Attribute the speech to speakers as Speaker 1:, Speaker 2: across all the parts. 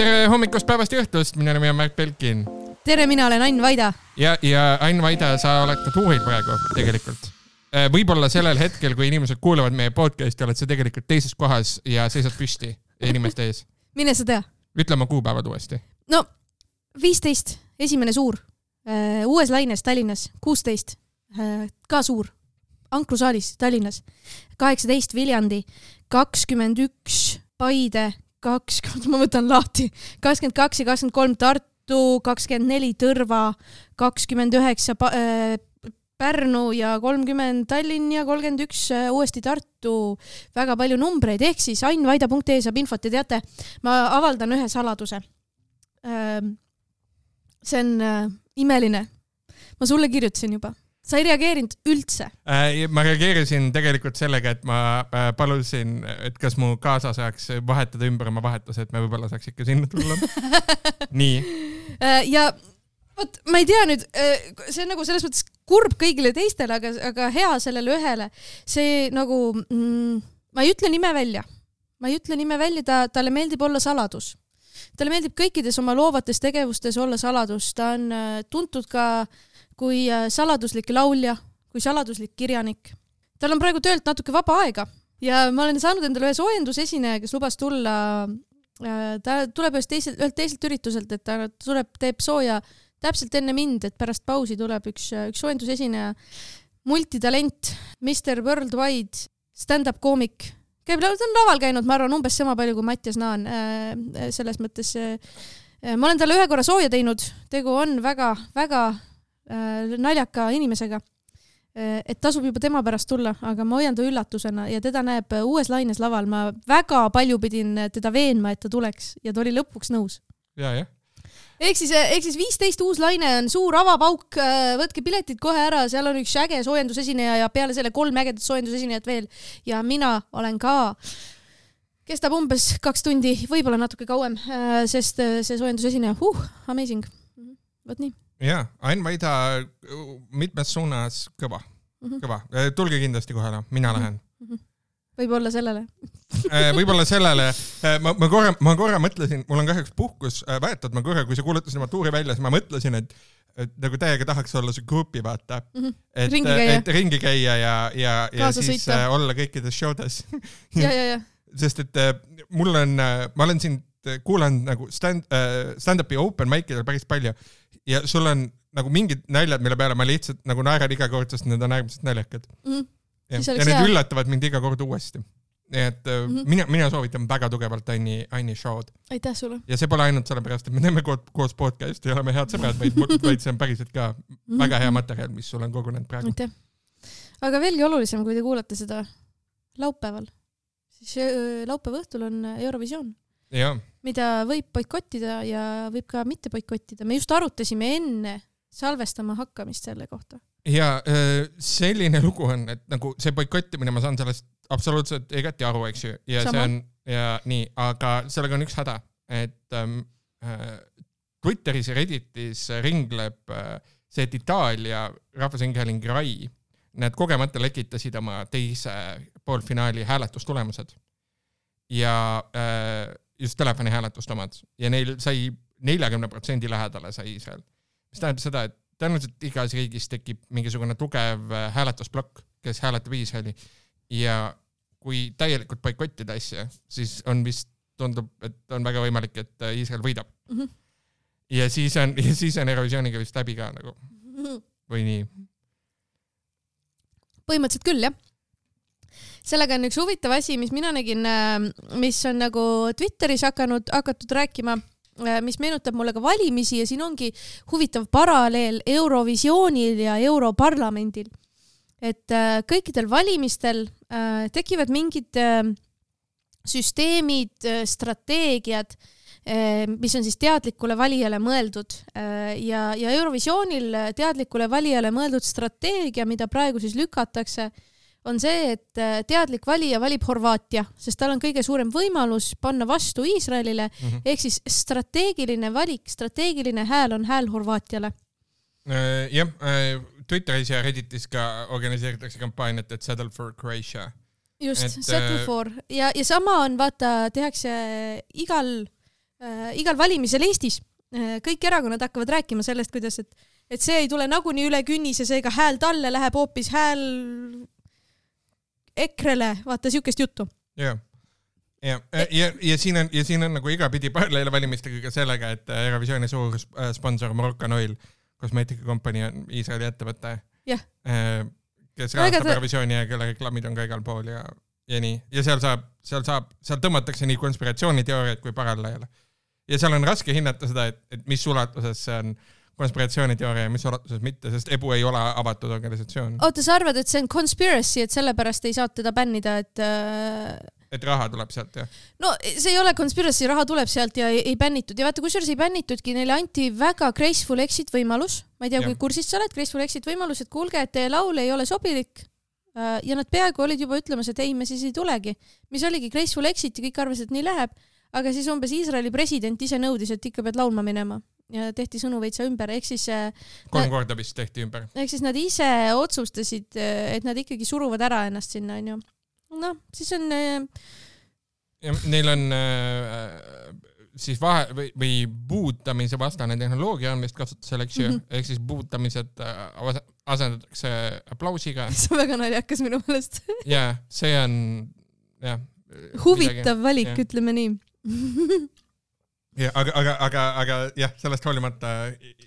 Speaker 1: Tere hommikust päevast ja õhtust, mina olen Märt Belkin.
Speaker 2: Tere, mina olen Ain Vaida.
Speaker 1: Ja Ain Vaida, sa oled ka tuuril praegu tegelikult. Võib-olla sellel hetkel, kui inimesed kuulavad meie podcasti, oled sa tegelikult teises kohas ja seisad püsti inimeste ees.
Speaker 2: Mine sa tea.
Speaker 1: Ütle oma kuupäevad uuesti.
Speaker 2: No, 15, esimene suur. Uues Laines Tallinnas, 16, ka suur. Ankrusaalis Tallinnas, 18 Viljandi, 21 Paide, 20, ma võtan lahti, 22 ja 23 Tartu, 24 Tõrva, 29 Pärnu ja 30 Tallinn ja 31 uuesti Tartu. Väga palju numbreid, ehk siis ainvaida.ee saab infot ja teate, ma avaldan ühe saladuse. See on imeline. Ma sulle kirjutasin juba. Sa ei reageerinud üldse?
Speaker 1: Ma reageerisin tegelikult sellega, et ma palusin, et kas mu kaasa saaks vahetada ümber oma vahetuse, et me võib-olla saaks ikka sinna tulla. Nii.
Speaker 2: Ja võt, ma ei tea nüüd, see on nagu selles mõttes kurb kõigile teistele, aga hea sellele ühele. See nagu, ma ei ütle nime välja. Talle meeldib olla saladus. Talle meeldib kõikides oma loovates tegevustes olla saladus. Ta on tuntud ka kui saladuslik laulja, kui saladuslik kirjanik. Tal on praegu töölt natuke vaba aega ja ma olen saanud endale ühe soojendusesineja, kes lubas tulla, ta tuleb ühelt teiselt ürituselt, et ta teeb sooja täpselt enne mind, et pärast pausi tuleb üks soojendusesineja, multitalent, Mr. Worldwide, stand-up koomik. Ta on laval käinud, ma arvan, umbes sama palju kui Mattias Naan. Selles mõttes, ma olen talle ühe korra sooja teinud, tegu on väga, väga naljaka inimesega, et tasub juba tema pärast tulla, aga ma hoian ta üllatusena ja teda näeb uues Laines laval. Ma väga palju pidin teda veenma, et ta tuleks ja ta oli lõpuks nõus.
Speaker 1: Ja.
Speaker 2: Ehk siis 15 uus Laine on suur avapauk, võtke piletid kohe ära, seal on üks äge soojendusesineja ja peale selle 3 ägedat soojendusesinejat veel ja mina olen ka, kestab umbes 2 tundi, võib-olla natuke kauem, sest see soojendusesineja, amazing. Võt nii.
Speaker 1: Ja, Ain Vaida mitmes suunas kõva. Tulge kindlasti kohale, mina lähen.
Speaker 2: Võib-olla sellele.
Speaker 1: Võib-olla sellele. Ma korra mõtlesin, mul on kahjuks puhkus väetud, kui sa kuulutasid oma tuuri välja, siis ma mõtlesin, et nagu täiega tahaks olla see grupi vaata. Et ringi käia ja siis olla kõikides showdes.
Speaker 2: Ja.
Speaker 1: Sest et ma olen siin kuulan nagu stand-upi open mic'idel päris palju ja sul on nagu mingid naljad, mille peale ma lihtsalt nagu naeran iga kord, sest need on äärmiselt naljakad. Ja need üllatavad mind iga kord uuesti. Nii et mina soovitan väga tugevalt Aini show'd.
Speaker 2: Aitäh sulle.
Speaker 1: Ja see pole ainult sellepärast, et me teeme koos podcasti ja oleme head sõbrad, vaid see on päriselt ka väga hea materjal, mis sul on kogunenud praegu.
Speaker 2: Aitäh. Aga veelgi olulisem, kui te kuulate seda laupäeval, siis laupäeva õhtul on Eurovisioon.
Speaker 1: Ja.
Speaker 2: Mida võib boikottida ja võib ka mitte boikottida. Me just arutasime enne salvestama hakkamist selle kohta.
Speaker 1: Ja selline lugu on, et nagu see boikottimine, ma saan sellest absoluutselt igati aru, eks ju. Ja
Speaker 2: Sama.
Speaker 1: see on ja nii, aga sellega on üks häda, et Twitteris ja Redditis ringleb see, et Itaalia rahvusringhääling RAI, need kogemata lekitasid oma teise poolfinaali hääletustulemused. Ja just telefoni hääletust omad. Ja neil sai 40% lähedale sai Iisrael. Mis tähendab seda, et tõenäoliselt igas riigis tekib mingisugune tugev hääletusblokk, kes hääletab Iisraeli. Ja kui täielikult boikottida asja, siis on vist tundub, et on väga võimalik, et Iisrael võidab. Ja siis on Eurovisiooniga vist läbi ka nagu. Või nii?
Speaker 2: Põhimõtteliselt küll, jah. Sellega on üks huvitav asi, mis mina nägin, mis on nagu Twitteris hakatud rääkima, mis meenutab mulle ka valimisi ja siin ongi huvitav paralleel Eurovisioonil ja Europarlamendil. Et kõikidel valimistel tekivad mingid süsteemid, strateegiad, mis on siis teadlikule valijale mõeldud ja Eurovisioonil teadlikule valijale mõeldud strateegia, mida praegu siis lükatakse, on see, et teadlik valija valib Horvaatia, sest tal on kõige suurem võimalus panna vastu Iisraelile, ehk siis strateegiline valik, strateegiline hääl on hääl Horvaatiale.
Speaker 1: Jah, Twitteris ja Redditis ka organiseeritakse kampaaniat, et Settle for Croatia.
Speaker 2: Just, Settle for. Ja sama on, vaata, tehakse igal igal valimisel Eestis kõik erakonnad hakkavad rääkima sellest, kuidas, et see ei tule nagunii üle künnise, seega hääl talle läheb hoopis hääl EKRE-le, vaata siukest juttu.
Speaker 1: Jah. Ja siin on nagu igapidi paralleele valimistega ka sellega, et Eurovisiooni suur sponsor Moroccan Oil, kosmeetikakompanii on Iisraeli ettevõte, kes rahastab Eurovisiooni ja kelle reklaamid on ka igal pool ja nii. Ja seal tõmmatakse nii konspiratsiooniteooriaid kui paralleele. Ja seal on raske hinnata seda, et mis ulatuses see on konspiratsiooniteooria ja mis ulatuses mitte, sest EBU ei ole avatud organisatsioon.
Speaker 2: Oota, sa arvad, et see on conspiracy, et sellepärast ei saa teda bännida,
Speaker 1: et raha tuleb sealt, jah?
Speaker 2: No see ei ole conspiracy, raha tuleb sealt ja ei bännitud. Ja vaata, kusjuures ei bännitudki, neile anti väga graceful exit võimalus. Ma ei tea, kui kursist sa oled, graceful exit võimalus, et kuulge, et teie laul ei ole sobilik. Ja nad peaaegu olid juba ütlemas, et ei, me siis ei tulegi. Mis oligi graceful exit ja kõik arvasid, et nii läheb. Aga siis umbes Iisraeli president ise nõudis, et ikka pead laulma minema. Ja tehti sõnu veitsa ümber. Ehk siis
Speaker 1: 3 korda vist tehti ümber.
Speaker 2: Ehk siis nad ise otsustasid, et nad ikkagi suruvad ära ennast sinna, on ju. No, siis on...
Speaker 1: Neil on siis või buutamise vastane tehnoloogia on vist kasutusel, eks ju, ehk siis buutamised asendatakse aplausiga.
Speaker 2: See on väga naljakas minu meelest.
Speaker 1: Ja, see on
Speaker 2: huvitav valik, ütleme nii.
Speaker 1: Ja, aga jah, sellest hoolimata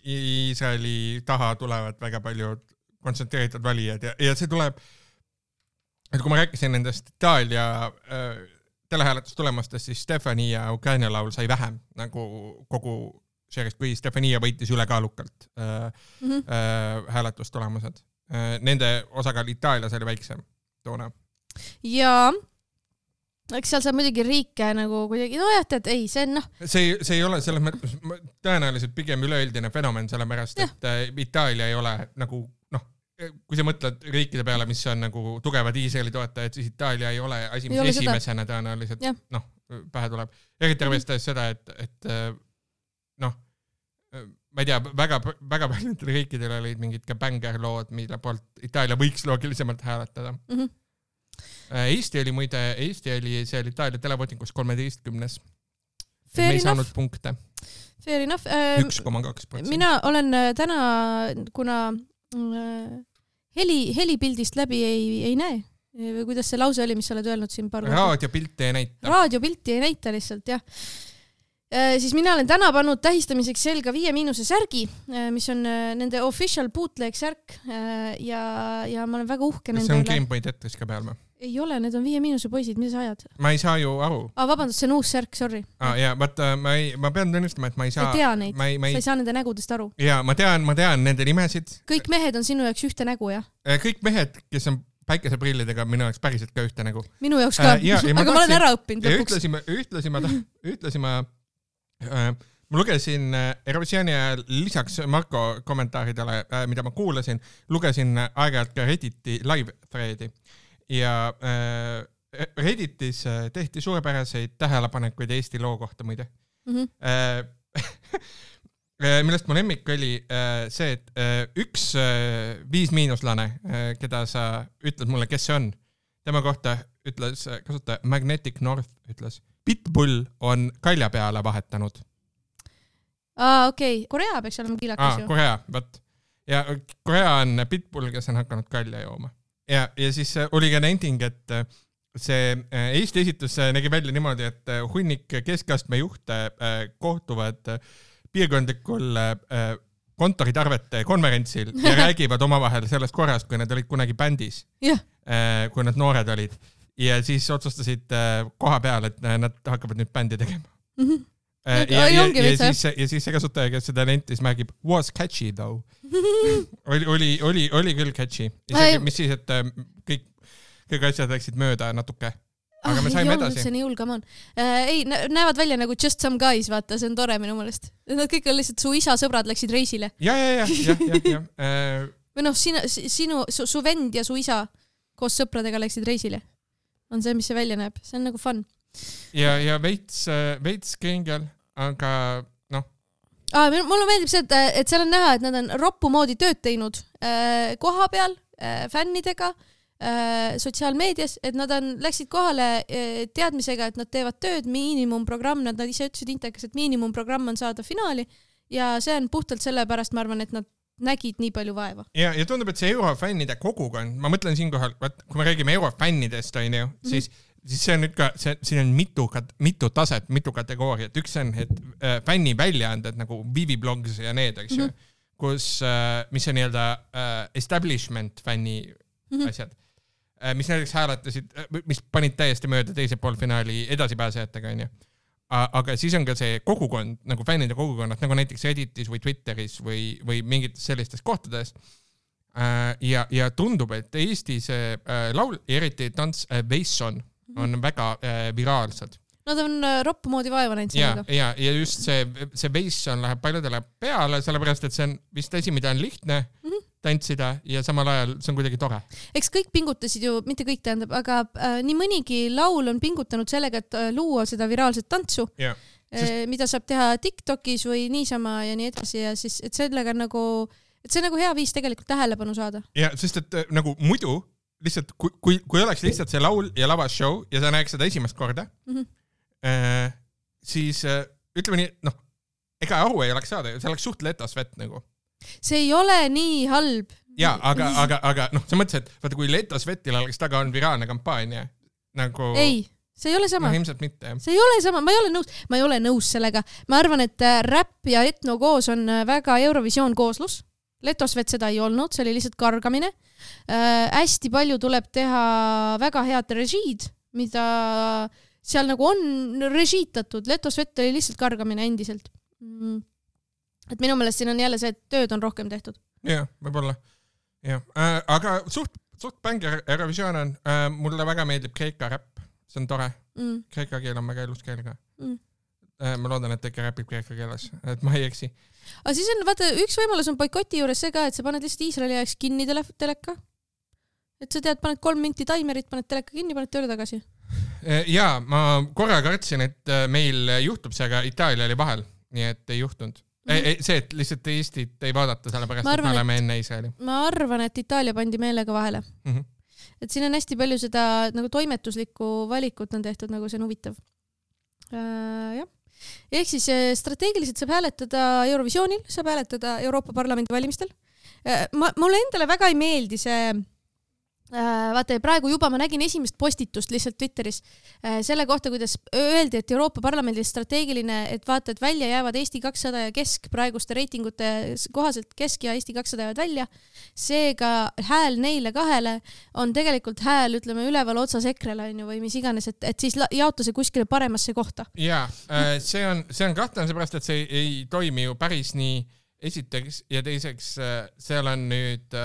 Speaker 1: Iisraeli taha tulevad väga palju kontsentreeritud valijad ja see tuleb, et kui ma rääkisin nendest Itaalia telehääletustulemastest, siis Stefania Ukraina laul sai vähem nagu kogu sellest, kui Stefania võitis ülekaalukalt hääletustulemused. Nende osakaal Itaalias oli väiksem toona.
Speaker 2: Ja eks seal saab muidugi riike nagu kuidagi, no jah, et ei, see on
Speaker 1: See ei ole selles mõttes tõenäoliselt pigem üleüldine fenomen, sellepärast, et Itaalia ei ole nagu, kui sa mõtled riikide peale, mis on nagu tugevad Iisraeli toetajad, siis Itaalia ei ole asi, mis esimesena tõenäoliselt pähe tuleb. Eriti arvestades seda, et ma ei tea, väga paljudel riikidel olid mingid ka banger-lood, mille poolt Itaalia võiks loogilisemalt hääletada. Eesti oli see Itaalia televootingus 13. Me ei saanud punkte.
Speaker 2: Fair enough.
Speaker 1: 1,2%.
Speaker 2: Mina olen täna, kuna helipildist läbi ei näe. Või kuidas see lause oli, mis sa oled öelnud siin paar korda?
Speaker 1: Raadiopilti ei näita.
Speaker 2: Raadiopilti ei näita lihtsalt, jah. Siis mina olen täna pannud tähistamiseks selga 5- särgi, mis on nende official bootleg särk ja ma olen väga uhke nende üle.
Speaker 1: See on Game Boy Tetris ka peal või?
Speaker 2: Ei ole, need on 5- poisid, mida sa ajad?
Speaker 1: Ma ei saa ju aru.
Speaker 2: Vabandust, see on uus särk, sorry.
Speaker 1: Ma pean tunnistama, et ma ei saa...
Speaker 2: Sa ei tea neid, sa ei saa nende nägudest aru.
Speaker 1: Ja, ma tean nende nimesid.
Speaker 2: Kõik mehed on sinu jaoks ühte nägu, jah?
Speaker 1: Kõik mehed, kes on päikeseprillidega, minu jaoks päriselt ka ühte nägu.
Speaker 2: Minu jaoks ka, aga ma olen ära õppinud lõpuks.
Speaker 1: Ühtlasi ma lugesin Eurovisiooni ajal lisaks Marko kommentaaridele, mida ma kuulasin, lugesin aeg-ajalt ka Redditi live-threadi ja Redditis tehti suurepäraseid tähelepanekuid Eesti loo kohta muide. Millest mu lemmik oli see, et üks 5-lane, keda sa ütled mulle, kes see on, tema kohta ütles, kasutaja Magnetic North ütles, Pitbull on kalja peale vahetanud.
Speaker 2: Okei. Korea peaks olema kiilakas ju.
Speaker 1: Korea, võt. Ja Korea on Pitbull, kes on hakanud kalja jooma. Ja siis oli ka nenting, et see Eesti esitus nägi välja niimoodi, et hunnik keskastme juhte kohtuvad piirkondlikul kontoritarvete konverentsil ja räägivad omavahel sellest korrast, kui nad olid kunagi bändis, kui nad noored olid. Ja siis otsustasid koha peal, et nad hakkavad nüüd bändi tegema. Ja siis see kasutaja, kes seda nentis, märgib was catchy though. Oli küll catchy. Mis siis, et kõik asjad läksid mööda natuke. Aga me saime edasi.
Speaker 2: See nii hull, come on. Ei, näevad välja nagu just some guys, vaata, see on tore minu mõelest. Nad kõik on lihtsalt su isa sõbrad läksid reisile.
Speaker 1: Ja.
Speaker 2: Või su vend ja su isa koos sõpradega läksid reisile. On see, mis see välja näeb. See on nagu fun.
Speaker 1: Ja veits kringel, aga
Speaker 2: mulle meeldib see, et seal on näha, et nad on roppu moodi tööd teinud koha peal, fännidega, sotsiaalmeedias, et nad läksid kohale teadmisega, et nad teevad tööd, miinimumprogramm, nad ise ütlesid Intekas, et miinimumprogramm on saada finaali ja see on puhtalt sellepärast, ma arvan, et nad nägid nii palju vaeva.
Speaker 1: Ja tundub, et see eurofännide kogukond, ma mõtlen siinkohal, kui me räägime eurofännidest, on ju, siis see on nüüd ka, siin on mitu taset, mitu kategooriat. Üks on, et fänni väljaanded nagu Vivi Blogs ja need, eks ju, kus, mis on nii-öelda establishment fänni asjad, mis näiteks hääletasid, mis panid täiesti mööda teise poolfinaali edasipääsejatega, on ju. Aga siis on ka see kogukond, nagu fännide kogukonnad, nagu näiteks Redditis või Twitteris või mingites sellistes kohtades. Ja tundub, et Eesti see laul, eriti tants Veisson, on väga viraalsed.
Speaker 2: Nad on roppu moodi vaeva näinud sellega.
Speaker 1: Ja just see Veisson läheb paljudele peale, sellepärast, et see on vist asi, mida on lihtne tantsida ja samal ajal see on kuidagi tore.
Speaker 2: Eks kõik pingutasid ju, mitte kõik tähendab, aga nii mõnigi laul on pingutanud sellega, et luua seda viraalset tantsu, mida saab teha TikTokis või niisama ja nii edasi ja siis, et sellega nagu, et see on nagu hea viis tegelikult tähelepanu saada.
Speaker 1: Ja, sest et nagu muidu lihtsalt, kui oleks lihtsalt see laul ja lavashow ja sa näeks seda esimest korda, siis ütleme nii, ega aru ei oleks saada, see oleks suht letasvett nagu.
Speaker 2: See ei ole nii halb.
Speaker 1: Ja, aga sa mõtlesid, et vaata, kui Letosvetil oleks taga on viraalne kampaania, nagu...
Speaker 2: Ei, see ei ole sama.
Speaker 1: Ilmselt mitte, jah.
Speaker 2: See ei ole sama, ma ei ole nõus sellega. Ma arvan, et räpp ja etno koos on väga Eurovisioon kooslus. Letosvet seda ei olnud, see oli lihtsalt kargamine. Hästi palju tuleb teha väga head režiid, mida seal nagu on režiitatud. Letosvet oli lihtsalt kargamine endiselt. Et minu meelest siin on jälle see, et tööd on rohkem tehtud.
Speaker 1: Jah, võib-olla. Aga suht bängi Eurovisioon on, mulle väga meeldib Kreeka räpp, see on tore. Kreeka keel on väga ilus keel ka. Ma loodan, et ikka räpib kreeka keeles, et ma ei eksi.
Speaker 2: Aga siis on, vaata, üks võimalus on boikoti juures see ka, et sa paned lihtsalt Iisraeli ajaks kinni teleka. Et sa tead, paned 3 minti taimerit, paned teleka kinni, paned tööle tagasi.
Speaker 1: Jaa, ma korra kartsin, et meil juhtub see, aga Itaalia oli vahel, nii et ei juhtunud. See, et lihtsalt Eestit ei vaadata sellepärast, et me oleme enne Iisraeli. Ma
Speaker 2: arvan, et Itaalia pandi meelega vahele. Et siin on hästi palju seda nagu toimetuslikku valikut on tehtud, nagu see on huvitav. Jah. Ehk siis strateegiliselt saab hääletada Eurovisioonil, saab hääletada Euroopa Parlamendi valimistel. Mulle endale väga ei meeldi see... Vaata, praegu juba ma nägin esimest postitust lihtsalt Twitteris selle kohta, kuidas öeldi, et Euroopa Parlamendi strateegiline, et vaata, et välja jäävad Eesti 200 ja Kesk, praeguste reitingute kohaselt Kesk ja Eesti 200 jäävad välja. Seega hääl neile kahele on tegelikult hääl, ütleme, üleval otsas EKRE-le või mis iganes, et siis jaota see kuskile paremasse kohta.
Speaker 1: Jaa, see on kahtlane seepärast, et see ei toimi ju päris nii esiteks ja teiseks seal on nüüd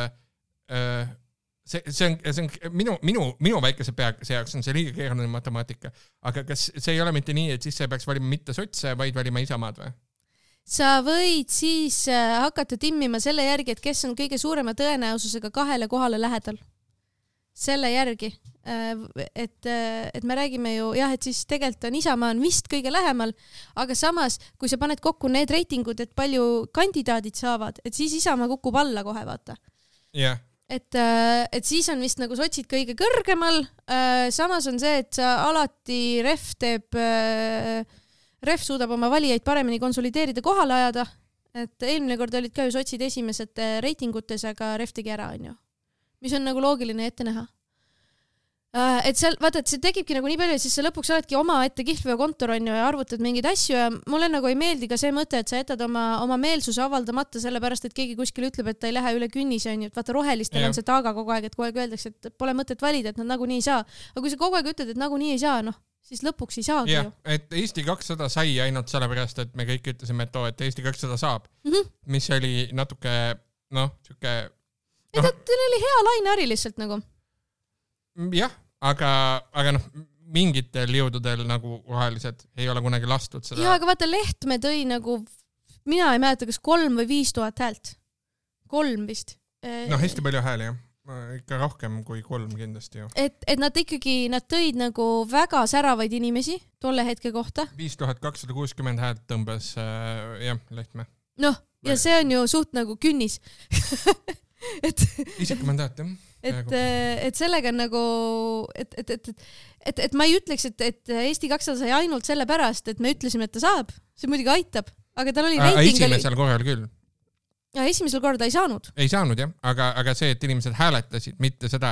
Speaker 1: see on minu väikese pea see jaoks on see liiga keeruline matemaatika, aga kas see ei ole mitte nii, et siis sa peaks valima mitte sotse, vaid valima Isamaad või?
Speaker 2: Sa võid siis hakata timmima selle järgi, et kes on kõige suurema tõenäosusega 2 kohale lähedal. Selle järgi. Et me räägime ju, jah, et siis tegelikult on Isamaa on vist kõige lähemal, aga samas, kui sa paned kokku need reitingud, et palju kandidaadid saavad, et siis Isamaa kukub alla kohe, vaata.
Speaker 1: Jah.
Speaker 2: Et siis on vist nagu sotsid kõige kõrgemal, samas on see, et sa alati ref suudab oma valijaid paremini konsolideerida kohale ajada, et eelmine kord olid ka ju sotsid esimesed reitingutes, aga ref tegi ära, on ju. Mis on nagu loogiline ette näha. Et seal, vaata, et see tekibki nagu nii palju, et siis sa lõpuks oledki oma ette kihlveokontor on ju ja arvutad mingeid asju ja mulle nagu ei meeldi ka see mõte, et sa jätad oma meelsuse avaldamata sellepärast, et keegi kuskil ütleb, et ta ei lähe üle künnise on ju, et vaata rohelistel on see taaga kogu aeg, et kogu aeg öeldakse, et pole mõtet valida, et nad nagunii ei saa. Aga kui sa kogu aeg ütled, et nagunii ei saa, siis lõpuks ei saagi ju.
Speaker 1: Et Eesti 200 sai ainult sellepärast, et me kõik ütlesime, et Eesti 200 saab, mis oli natuke, siuke...
Speaker 2: Teil oli hea laineari lihtsalt nagu.
Speaker 1: Jah, aga mingitel jõududel nagu rohelised ei ole kunagi lastud seda.
Speaker 2: Jah, aga vaata Lehtme tõi nagu, mina ei mäleta, kas 3 või 5000 häält. 3 vist.
Speaker 1: Hästi palju hääli, jah. Ikka rohkem kui 3 kindlasti ju.
Speaker 2: Et nad tõid nagu väga säravaid inimesi tolle hetke kohta.
Speaker 1: 5260 häält tõmbas, Lehtme.
Speaker 2: Ja see on ju suht nagu künnis.
Speaker 1: Isegi mandaat, jah.
Speaker 2: et sellega on nagu, et ma ei ütleks, et Eesti 200 sai ainult selle pärast, et me ütlesime, et ta saab. See muidugi aitab, aga tal oli reiting.
Speaker 1: Esimesel korral küll.
Speaker 2: Ja esimesel korda ei saanud.
Speaker 1: Ei saanud, jah. Aga see, et inimesed hääletasid, mitte seda,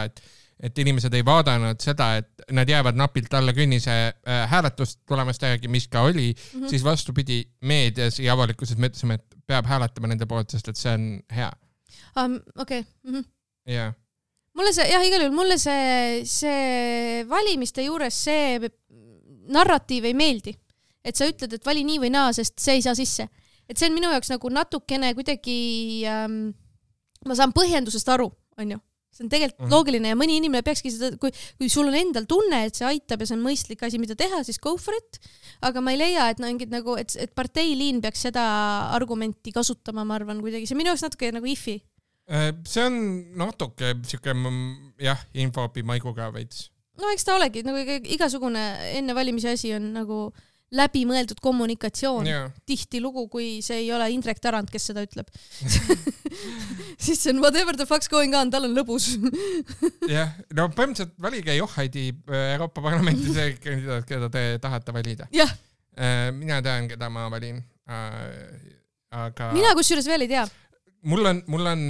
Speaker 1: et inimesed ei vaadanud seda, et nad jäävad napilt alla künnise hääletust tulemast järgi, mis ka oli, siis vastupidi meedias ja avalikkuses me ütlesime, et peab hääletama nende poolt, sest et see on hea.
Speaker 2: Okei.
Speaker 1: Jah.
Speaker 2: Mulle see, jah, igal juhul, mulle see valimiste juures see narratiiv ei meeldi. Et sa ütled, et vali nii või naa, sest see ei saa sisse. Et see on minu jaoks nagu natukene kuidagi, ma saan põhjendusest aru, on ju. See on tegelikult loogiline ja mõni inimene peakski seda, kui sul on endal tunne, et see aitab ja see on mõistlik asi, mida teha, siis go for it. Aga ma ei leia, et parteiliin peaks seda argumenti kasutama, ma arvan, kuidagi. See minu jaoks natuke nagu ifi.
Speaker 1: See on natuke siuke, jah, infoopi maiguga veits.
Speaker 2: No eks ta olegi, nagu igasugune enne valimisi asi on nagu läbimõeldud kommunikatsioon. Tihti lugu, kui see ei ole Indrek Tarand, kes seda ütleb. Siis see on whatever the fuck's going on, tal on lõbus.
Speaker 1: Jah, no põhimõtteliselt valige Johaidi Euroopa Parlamenti see kandidaat, keda te tahate valida.
Speaker 2: Jah.
Speaker 1: Mina tean, keda ma valin. Aga...
Speaker 2: Mina kusjuures veel ei tea.
Speaker 1: Mul on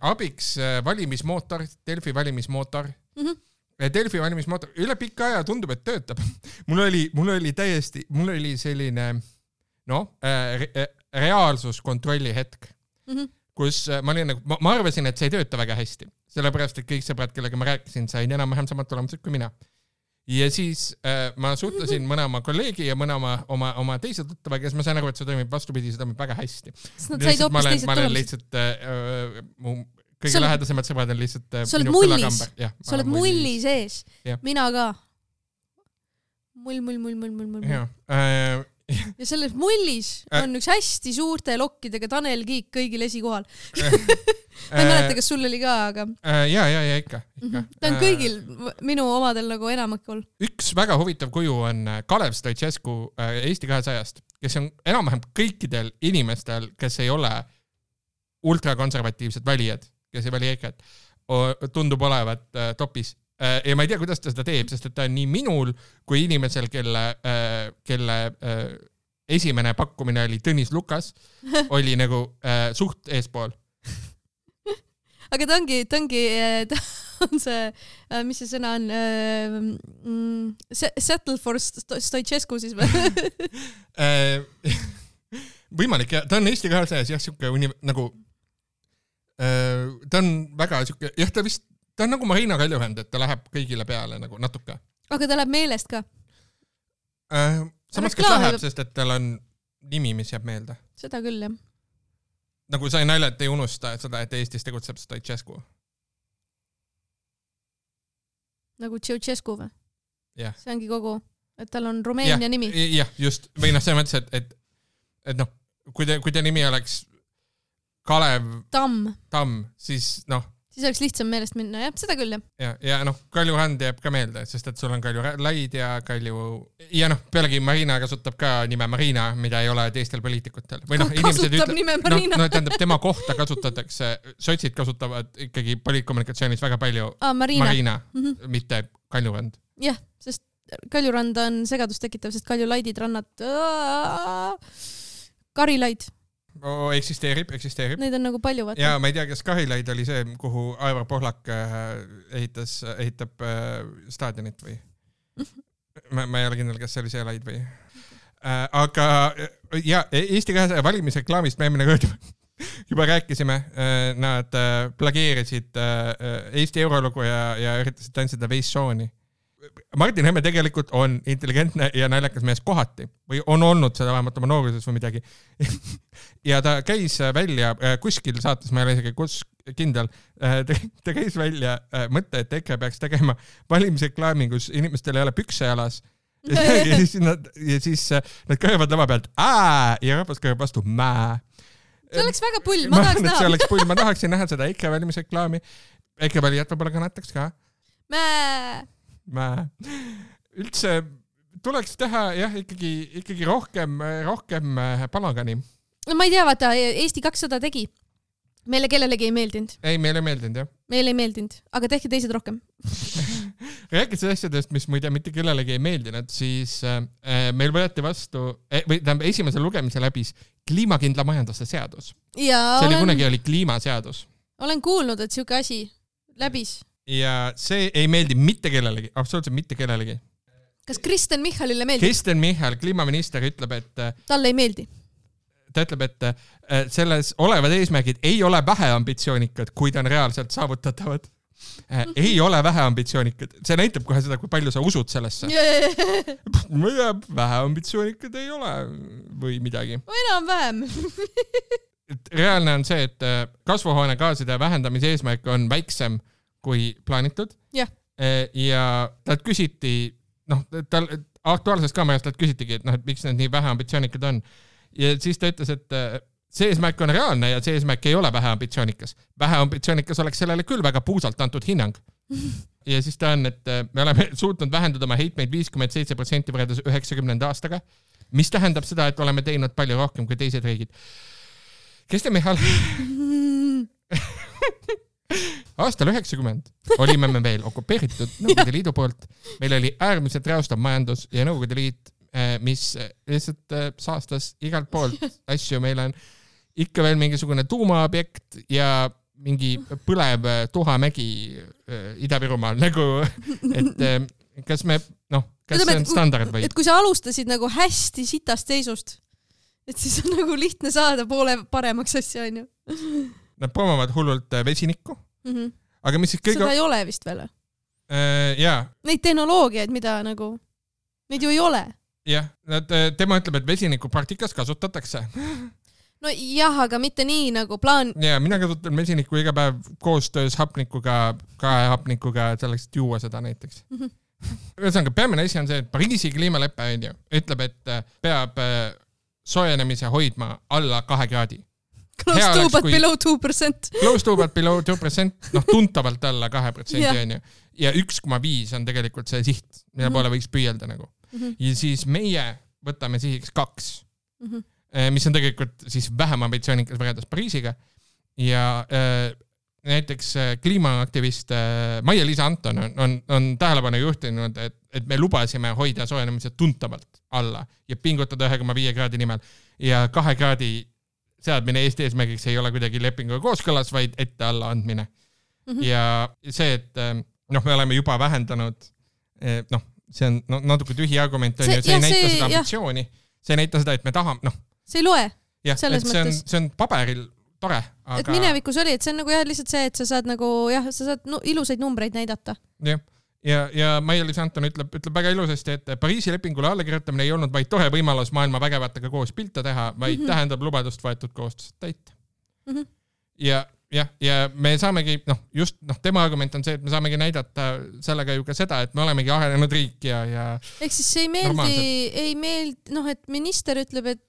Speaker 1: abiks valimismootor, Delfi valimismootor. Delfi valimismootor üle pikka aja tundub, et töötab. Mul oli selline reaalsuskontrolli hetk, kus ma olin nagu, ma arvasin, et see ei tööta väga hästi. Sellepärast, et kõik sõbrad, kellega ma rääkisin, sain enam-vähem samad tulemused kui mina. Ja siis ma suhtlesin mõne oma kolleegi ja mõne oma teise tuttava, kes ma sain aru, et see toimib vastupidi, see toimib väga hästi. Ma olen lihtsalt kõige lähedasemad sõbrad on lihtsalt
Speaker 2: minu kõlakamber. Sa oled mulli sees. Mina ka. Mull. Ja selles mullis on üks hästi suurte lokkidega Tanel Kiik kõigil esikohal. Ma ei mäleta, kas sul oli ka, aga...
Speaker 1: Ja, ikka.
Speaker 2: Ta on kõigil minu omadel nagu enamakul.
Speaker 1: Üks väga huvitav kuju on Kalev Stoicescu Eesti 200-st, kes on enam-vähem kõikidel inimestel, kes ei ole ultrakonservatiivsed valijad, kes ei vali EKRE-t, tundub olevat topis. Ja ma ei tea, kuidas ta seda teeb, sest et ta on nii minul kui inimesel, kelle esimene pakkumine oli Tõnis Lukas, oli nagu suht eespool.
Speaker 2: Aga ta on see, mis see sõna on, settle for Stoicescu siis või?
Speaker 1: Võimalik, ja ta on Eesti 200-s jah, siuke nagu ta on väga siuke, jah, ta on nagu Marina Kaljurand, et ta läheb kõigile peale nagu natuke.
Speaker 2: Aga ta läheb meelest ka?
Speaker 1: Samas, kes läheb, sest et tal on nimi, mis jääb meelde.
Speaker 2: Seda küll, jah.
Speaker 1: Nagu sa ei naljalt ei unusta seda, et Eestis tegutseb Stoicescu.
Speaker 2: Nagu Ceausescu või?
Speaker 1: Jah.
Speaker 2: See ongi kogu, et tal on Rumeenia nimi.
Speaker 1: Jah, just. Või see mõttes, et kui te nimi oleks Kalev Tamm, siis
Speaker 2: siis oleks lihtsam meelest minna, jah, seda küll, jah.
Speaker 1: Ja Kaljurand jääb ka meelde, sest et sul on Kalju Laid ja pealegi Marina kasutab ka nime Marina, mida ei ole teistel poliitikutel. Või
Speaker 2: kasutab nime Marina.
Speaker 1: Tähendab, tema kohta kasutatakse, sotsid kasutavad ikkagi poliitkommunikatsioonis väga palju Marina, mitte Kaljurand.
Speaker 2: Jah, sest Kaljurand on segadust tekitav, sest Kalju Laidid rannad Karilaid.
Speaker 1: Eksisteerib.
Speaker 2: Neid on nagu palju, vaata.
Speaker 1: Ja ma ei tea, kas Karilaid oli see, kuhu Aivar Pohlak ehitab staadionit või? Ma ei ole kindel, kas see oli see laid või? Aga ja, Eesti 200 valimisreklaamist me eelmine kord juba rääkisime. Nad plageerisid Eesti eurolugu ja üritasid tantsida Veissooni. Martin Hemme tegelikult on intelligentne ja naljakas mees kohati või on olnud seda vähemalt oma nooruses või midagi. Ja ta käis välja kuskil saates, ma ei ole isegi kindel, ta käis välja mõtte, et EKRE peaks tegema valimisreklaami, kus inimestel ei ole pükse jalas. Ja siis nad kõrvad lava pealt ja rahvas kõrvad vastu mää.
Speaker 2: See oleks väga pull, ma tahaks näha.
Speaker 1: See oleks pull, ma tahaksin näha seda EKRE valimisreklaami. EKRE valijad võib-olla kannataks ka. Üldse tuleks teha jah, ikkagi rohkem palagani.
Speaker 2: No ma ei tea, vaata, Eesti 200 tegi Meile kellelegi ei meeldinud.
Speaker 1: Ei, meile ei meeldinud, jah.
Speaker 2: Meile ei meeldinud, aga tehke teised rohkem.
Speaker 1: Rääkides asjadest, mis muide mitte kellelegi ei meeldinud, siis meil võeti vastu, või esimesel lugemisel läbis kliimakindla majanduse seadus.
Speaker 2: Ja
Speaker 1: see kunagi oli kliimaseadus.
Speaker 2: Olen kuulnud, et siuke asi läbis.
Speaker 1: Ja see ei meeldi mitte kellelegi, absoluutselt mitte kellelegi.
Speaker 2: Kas Kristen Michalile meeldib?
Speaker 1: Kristen Michal, kliimaminister, ütleb, et
Speaker 2: talle ei meeldi.
Speaker 1: Ta ütleb, et selles olevad eesmärgid ei ole vähe ambitsioonikad, kui ta on reaalselt saavutatavad. Ei ole vähe ambitsioonikad. See näitab kohe seda, kui palju sa usud sellesse. Vähe ambitsioonikad ei ole või midagi.
Speaker 2: Enam-vähem.
Speaker 1: Reaalne on see, et kasvuhoonegaaside vähendamise eesmärk on väiksem kui plaanitud.
Speaker 2: Ja
Speaker 1: talt küsiti, tal aktuaalsest kaamerast talt küsitigi, et miks need nii vähe ambitsioonikad on. Ja siis ta ütles, et see eesmärk on reaalne ja see eesmärk ei ole vähe ambitsioonikas. Vähe ambitsioonikas oleks sellele küll väga puusalt antud hinnang. Ja siis ta on, et me oleme suutnud vähendada oma heitmeid 57% võrreldes 90. aastaga, mis tähendab seda, et oleme teinud palju rohkem kui teised riigid. Kristen Michal? Aastal 90 olime me veel okupeeritud Nõukogude Liidu poolt. Meil oli äärmiselt reostav majandus ja Nõukogude Liit, mis lihtsalt saastas igalt poolt asju. Meil on ikka veel mingisugune tuumaobjekt ja mingi põlev Tuhamägi Ida-Virumaal. Et kas me, kas see on standard või?
Speaker 2: Et kui sa alustasid nagu hästi sitast seisust, et siis on nagu lihtne saada poole paremaks asja, on ju?
Speaker 1: Nad promovad hullult vesinikku. Aga mis siis kõige...
Speaker 2: Seda ei ole vist veel.
Speaker 1: Jaa.
Speaker 2: Neid tehnoloogiaid, mida nagu... Neid ju ei ole.
Speaker 1: Jah, tema ütleb, et vesiniku praktikas kasutatakse.
Speaker 2: No jah, aga mitte nii nagu plaan...
Speaker 1: Ja mina kasutan vesinikku iga päev koostöös hapnikuga, hapnikuga selleks, et juua seda näiteks. Ühesõnaga, peamine asi on see, et Pariisi kliimaleppe ütleb, et peab soojenemise hoidma alla 2 kraadi.
Speaker 2: Close to but below 2%.
Speaker 1: Close to but below 2%, tuntavalt alla 2%, on ju. Ja 1,5 on tegelikult see siht, mille poole võiks püüelda nagu. Ja siis meie võtame sihiks 2, mis on tegelikult siis vähem ambitsioonikas võrreldes Pariisiga. Ja näiteks kliimaaktivist Maia-Liisa Anton on tähelepanu juhtinud, et me lubasime hoida soojenemise tuntavalt alla ja pingutada 1,5 kraadi nimel. Ja 2 kraadi seadmine Eesti eesmärgiks ei ole kuidagi lepinguga kooskõlas, vaid ette alla andmine. Ja see, et me oleme juba vähendanud, see on natuke tühi argument, see ei näita seda ambitsiooni, see ei näita seda, et me tahame,
Speaker 2: see ei loe.
Speaker 1: Jah, et see on paberil tore. Aga...
Speaker 2: Et minevikus oli, et see on nagu lihtsalt see, et sa saad nagu, sa saad ilusaid numbreid näidata.
Speaker 1: Jah. Ja Maia-Liisa Anton ütleb väga ilusasti, et Pariisi lepingule allakirjutamine ei olnud vaid tore võimalus maailma vägevatega koos pilte teha, vaid tähendab lubadust võetud koostööd täita. Ja me saamegi, tema argument on see, et me saamegi näidata sellega ju ka seda, et me olemegi arenenud riik ja
Speaker 2: ehk siis see ei meeldi, et minister ütleb, et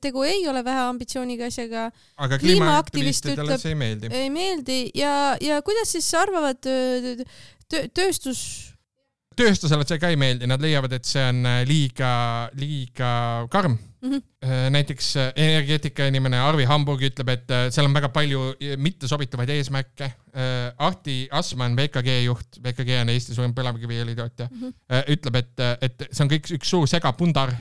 Speaker 2: tegu ei ole vähe ambitsiooniga asjaga.
Speaker 1: Aga kliimaaktivistidele see ei meeldi.
Speaker 2: Ja kuidas siis arvavad
Speaker 1: tööstusele see ka ei meeldi, nad leiavad, et see on liiga karm. Näiteks energeetika inimene Arvi Hamburg ütleb, et seal on väga palju mittesobituvaid eesmärke. Ahti Asman, VKG juht, VKG on Eesti suurim põlevkiviõlitootja, ütleb, et see on kõik üks suur segapundar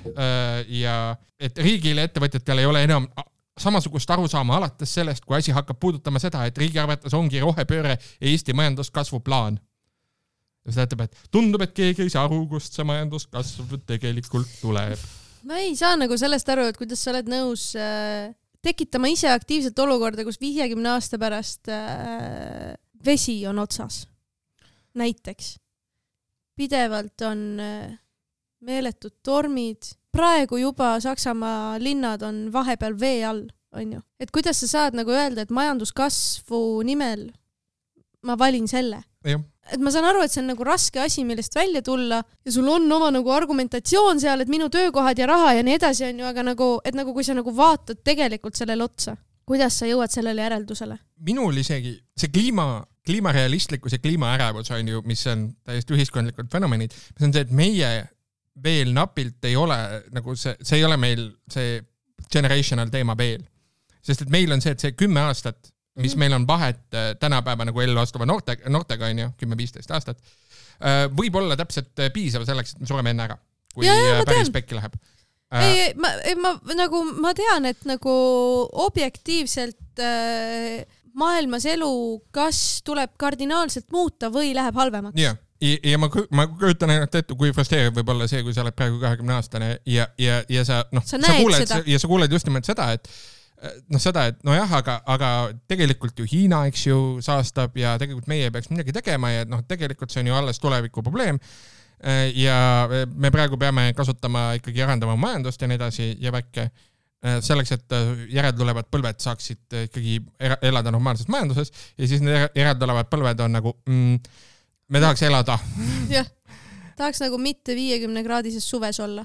Speaker 1: ja et riigile ettevõtjatel ei ole enam samasugust arusaama alates sellest, kui asi hakkab puudutama seda, et riigi arvates ongi rohepööre Eesti majanduskasvu plaan. Ja seda ütleb, et tundub, et keegi ei saa aru, kust see majanduskasv tegelikult tuleb.
Speaker 2: Ma ei saa nagu sellest aru, et kuidas sa oled nõus tekitama ise aktiivselt olukorda, kus 50 aasta pärast vesi on otsas. Näiteks. Pidevalt on meeletud tormid. Praegu juba Saksamaa linnad on vahepeal vee all, on ju. Et kuidas sa saad nagu öelda, et majanduskasvu nimel ma valin selle?
Speaker 1: Jah.
Speaker 2: Et ma saan aru, et see on nagu raske asi, millest välja tulla ja sul on oma nagu argumentatsioon seal, et minu töökohad ja raha ja nii edasi on ju, aga nagu, et nagu kui sa nagu vaatad tegelikult sellele otsa, kuidas sa jõuad sellele järeldusele?
Speaker 1: Minul isegi see kliimarealistlikkus ja kliimaärevus on ju, mis on täiesti ühiskondlikud fenomenid, mis on see, et meie veel napilt ei ole, nagu see ei ole meil see generational teema veel. Sest et meil on see, et see 10 aastat mis meil on vahet tänapäeva nagu ellu astuva noortega on ju, 10-15 aastat, võib olla täpselt piisav selleks, et me sureme enne ära, kui päris pekki läheb.
Speaker 2: Ma tean, et nagu objektiivselt maailmas elu kas tuleb kardinaalselt muuta või läheb halvemaks.
Speaker 1: Ja ma kujutan ainult ette, kui frustreeriv võib olla see, kui sa oled praegu 20-aastane ja sa kuuled just nimelt seda, et nojah, aga tegelikult ju Hiina, eks ju, saastab ja tegelikult meie peaks midagi tegema ja tegelikult see on ju alles tuleviku probleem ja me praegu peame kasutama ikkagi arendama majandust ja nii edasi ja väkke selleks, et järeltulevad põlved saaksid ikkagi elada normaalses majanduses ja siis need järeltulevad põlved on nagu me tahaks elada.
Speaker 2: Jah, tahaks nagu mitte 50-kraadises suves olla.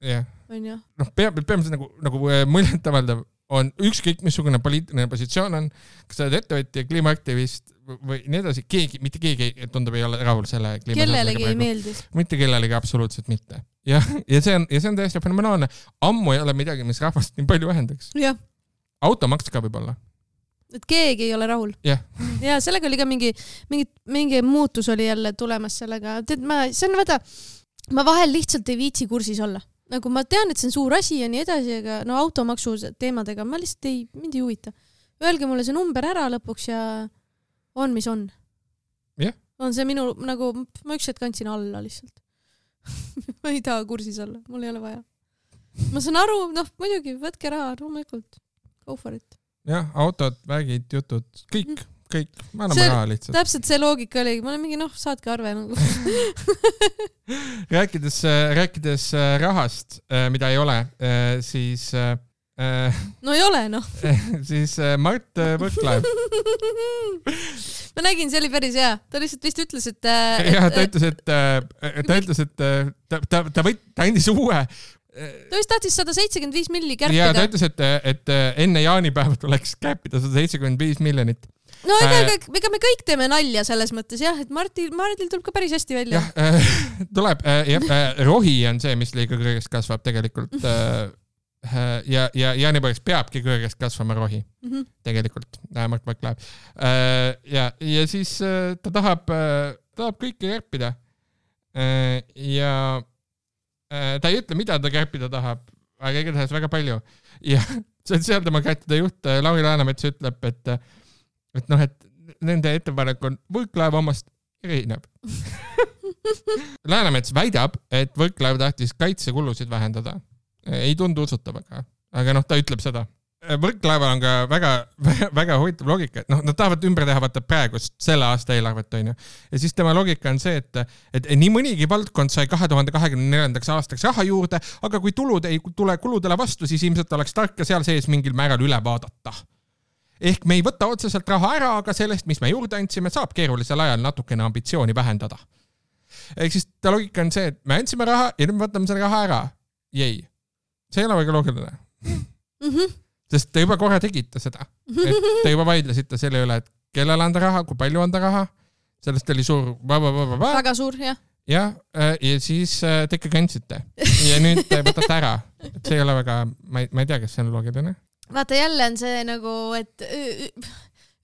Speaker 1: Jah.
Speaker 2: On ju?
Speaker 1: Peamiselt nagu muljetavaeldav on ükskõik missugune poliitiline positsioon on, kas sa oled ettevõtja, kliimaaktivist või nii edasi, mitte keegi tundub ei ole rahul selle kliimaaktivist.
Speaker 2: Kellelegi ei meeldi.
Speaker 1: Mitte kellelegi absoluutselt mitte. Ja see on täiesti fenomenaalne. Ammu ei ole midagi, mis rahvast nii palju vähendaks.
Speaker 2: Jah.
Speaker 1: Automaks ka võib olla.
Speaker 2: Et keegi ei ole rahul.
Speaker 1: Yeah.
Speaker 2: Ja sellega oli ka mingi muutus oli jälle tulemas sellega. Ma vahel lihtsalt ei viitsi kursis olla. Nagu ma tean, et see on suur asi ja nii edasi, aga automaksu teemadega ma lihtsalt mind ei huvita. Öelge mulle see number ära lõpuks ja on, mis on.
Speaker 1: Yeah.
Speaker 2: On see minu, nagu ma üks hetk kandsin alla lihtsalt. Ma ei taha kursis olla, mul ei ole vaja. Ma saan aru, muidugi, võtke raha, loomulikult. Go for it.
Speaker 1: Jah, autod, vägid, jutud, kõik, ma anname raha lihtsalt.
Speaker 2: Täpselt see loogika oli, ma olen mingi, saadke arve nagu.
Speaker 1: rääkides rahast, mida ei ole, siis...
Speaker 2: No ei ole,
Speaker 1: siis Mart Võrklaev.
Speaker 2: Ma nägin, see oli päris hea. Ta lihtsalt vist ütles, et...
Speaker 1: Ta ütles, et ta andis uue...
Speaker 2: Ta vist tahtis 175 milli kärpida.
Speaker 1: Ja ta ütles, et enne jaanipäeva tuleks kärpida 175 miljonit.
Speaker 2: No ega me kõik teeme nalja selles mõttes, jah, et Martil tuleb ka päris hästi välja.
Speaker 1: Tuleb. Rohi on see, mis liiga kõrgest kasvab tegelikult. Ja jaanipäevaks peabki kõrgest kasvama rohi. Tegelikult. Mart Võrklaev. Ja siis ta tahab kõike kärpida. Ja ta ei ütle, mida ta kärpida tahab, aga igatahes väga palju. Ja sotsiaaldemokraatide juht Lauri Läänemets ütleb, et nende ettepanek on Võrklaev omast erineb. Läänemets väidab, et Võrklaev tahtis kaitsekulusid vähendada. Ei tundu usutav, aga ta ütleb seda. Võrklaeval on ka väga, väga huvitav loogika, et nad tahavad ümber teha vaata praegust selle aasta eelarvet, on ju. Ja siis tema loogika on see, et nii mõnigi valdkond sai 2024. aastaks raha juurde, aga kui tulud ei tule kuludele vastu, siis ilmselt oleks tark seal sees mingil määral üle vaadata. Ehk me ei võta otseselt raha ära, aga sellest, mis me juurde andsime, saab keerulisel ajal natukene ambitsiooni vähendada. Ehk siis ta loogika on see, et me andsime raha ja nüüd me võtame selle raha ära. Jäi. See ei ole väga loogiline. Sest te juba korra tegite seda. Et te juba vaidlesite selle üle, et kellele anda raha, kui palju anda raha. Sellest oli suur...
Speaker 2: Väga suur, jah.
Speaker 1: Ja siis te ikka kandsite. Ja nüüd te võtate ära. Et see ei ole väga... Ma ei tea, kas see on loogiline.
Speaker 2: Vaata, jälle on see nagu, et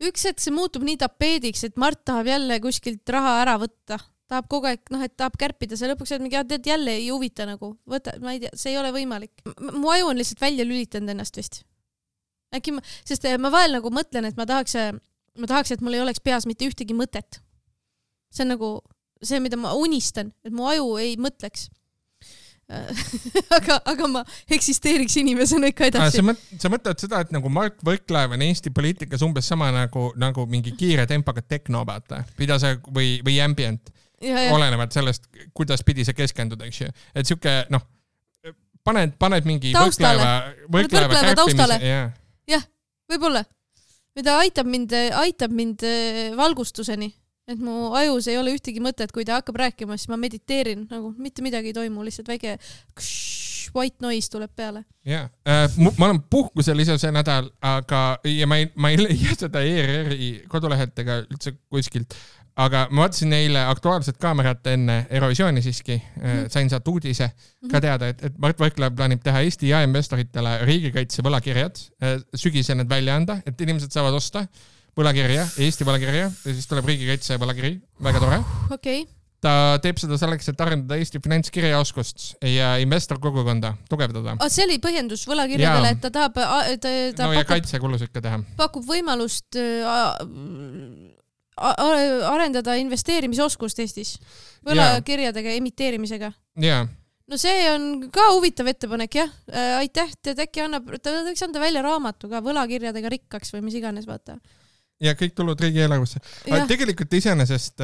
Speaker 2: üks hetk see muutub nii tapeediks, et Mart tahab jälle kuskilt raha ära võtta. Tahab kogu aeg, et tahab kärpida. See lõpuks mingi, et jälle ei huvita nagu. Võta, ma ei tea, see ei ole võimalik. Mu aju on lihtsalt välja lülitanud ennast vist. Sest ma vahel nagu mõtlen, et ma tahaks, et mul ei oleks peas mitte ühtegi mõtet. See on nagu see, mida ma unistan, et mu aju ei mõtleks. aga ma eksisteeriks inimesena ikka edasi.
Speaker 1: Sa mõtled seda, et nagu Mart Võrklaev on Eesti poliitikas umbes sama nagu mingi kiire tempaga tekno, vaata. Pidase või ambient. Olenevad sellest, kuidas pidi see keskenduda, eks ju. Et siuke, paned mingi Võrklaeva
Speaker 2: kärpimise. Jah, võib-olla. Mida aitab mind valgustuseni. Et mu ajus ei ole ühtegi mõtet, kui ta hakkab rääkima, siis ma mediteerin, nagu mitte midagi ei toimu, lihtsalt väike white noise tuleb peale.
Speaker 1: Jah, ma olen puhkusel ise see nädal, aga ja ma ei leia seda ERR-i kodulehelt ega üldse kuskilt, aga ma vaatasin neile aktuaalset kaamerat enne Eurovisiooni siiski, sain sealt uudise ka teada, et Mart Võrklaev plaanib teha Eesti jaeinvestoritele riigikaitse võlakirjad, sügisel need välja anda, et inimesed saavad osta võlakirja, Eesti võlakirja ja siis tuleb riigikaitse võlakiri, väga tore.
Speaker 2: Okay.
Speaker 1: Ta teeb seda selleks, et arendada Eesti finantskirjaoskust ja investorkogukonda tugevdada.
Speaker 2: See oli põhjendus võlakirjadele, et ta tahab...
Speaker 1: No ja kaitsekulusid ka teha.
Speaker 2: Pakub võimalust arendada investeerimisoskust Eestis võlakirjadega emiteerimisega.
Speaker 1: Jaa.
Speaker 2: No see on ka huvitav ettepanek, jah. Aitäh, äkki ta võiks anda välja raamatu ka võlakirjadega rikkaks või mis iganes, vaata.
Speaker 1: Ja kõik tulud riigieelarvesse. Tegelikult iseenesest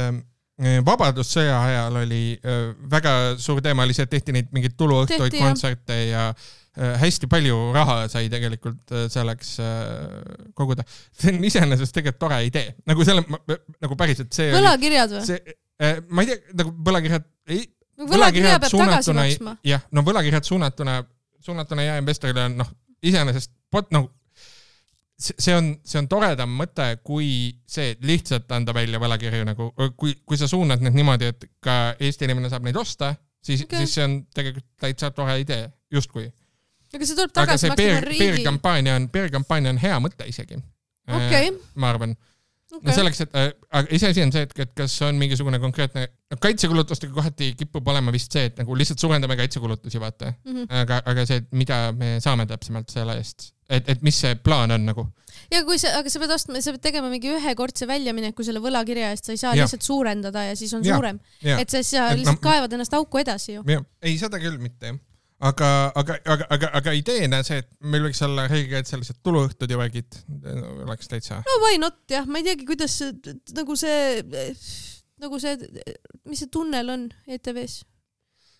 Speaker 1: vabadussõja ajal oli väga suur teema, oli see, et tehti neid mingeid tuluõhtuid, kontserte ja hästi palju raha sai tegelikult selleks koguda. See on iseenesest tegelikult tore idee. Nagu selle, nagu päriselt see
Speaker 2: võlakirjad või?
Speaker 1: Ma ei tea, nagu võlakirjad
Speaker 2: võlakirja peab tagasi maksma.
Speaker 1: Jah, no võlakirjad suunatuna jaeinvestorile on, iseenesest see on toredam mõte, kui see lihtsalt anda välja võlakirju, nagu kui sa suunad need niimoodi, et ka Eesti inimene saab neid osta, siis see on tegelikult täitsa tore idee, justkui.
Speaker 2: Aga see tuleb tagasi maksma riigi.
Speaker 1: PR-kampaania on hea mõte isegi. Ma arvan.
Speaker 2: Okay.
Speaker 1: No selleks, et iseasi on see, et kas on mingisugune konkreetne kaitsekulutustega kohati kipub olema vist see, et nagu lihtsalt suurendame kaitsekulutusi, vaata. Aga see, mida me saame täpsemalt selle eest, et mis see plaan on nagu.
Speaker 2: Ja aga sa pead tegema mingi ühekordse väljamineku selle võlakirja eest, sa ei saa lihtsalt suurendada ja siis on suurem. Et sa lihtsalt kaevad ennast auku edasi ju.
Speaker 1: Ei, seda küll mitte, jah. Aga ideena see, et meil võiks olla riigikaitselised tuluõhtud ja värgid, oleks täitsa.
Speaker 2: No why not, jah. Ma ei teagi, kuidas nagu see, mis see tunnel on ETV-s?